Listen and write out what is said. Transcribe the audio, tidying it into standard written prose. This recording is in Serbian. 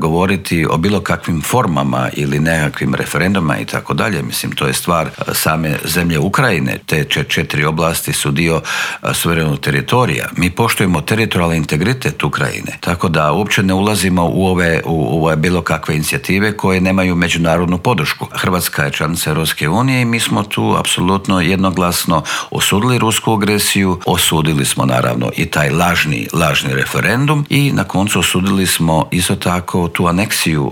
govoriti o bilo kakvim formama ili nekakvim referenduma i tako dalje. Mislim, to je stvar same zemlje Ukrajine. Te 4 oblasti su dio suverenog teritorija. Mi poštujemo teritorijalni integritet Ukrajine, tako da uopće ne ulazimo u ove bilo kakve inicijative koje nemaju međunarodnu podršku. Hrvatska je članica Europske unije i mi smo tu apsolutno jednoglasno osudili rusku agresiju, osudili smo naravno i taj lažni referendum i na koncu osudili smo isto tako tu aneksiju